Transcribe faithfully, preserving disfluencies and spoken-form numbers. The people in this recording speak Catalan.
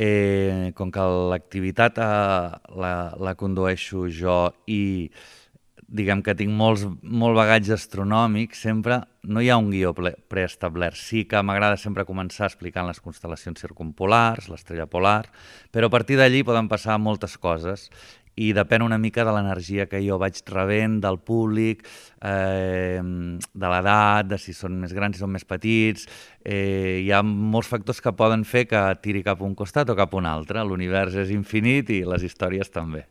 Eh, com que l'activitat eh, la, la condueixo jo i diguem que tinc molts, molt bagatge astronòmic, sempre no hi ha un guió ple- preestablert. Sí que m'agrada sempre començar explicant les constel·lacions circumpolars, l'estrella polar, però a partir d'allí poden passar moltes coses i depèn una mica de l'energia que jo vaig rebent, del públic, eh, de l'edat, de si són més grans, si són més petits. Eh, hi ha molts factors que poden fer que tiri cap a un costat o cap a un altre. L'univers és infinit i les històries també.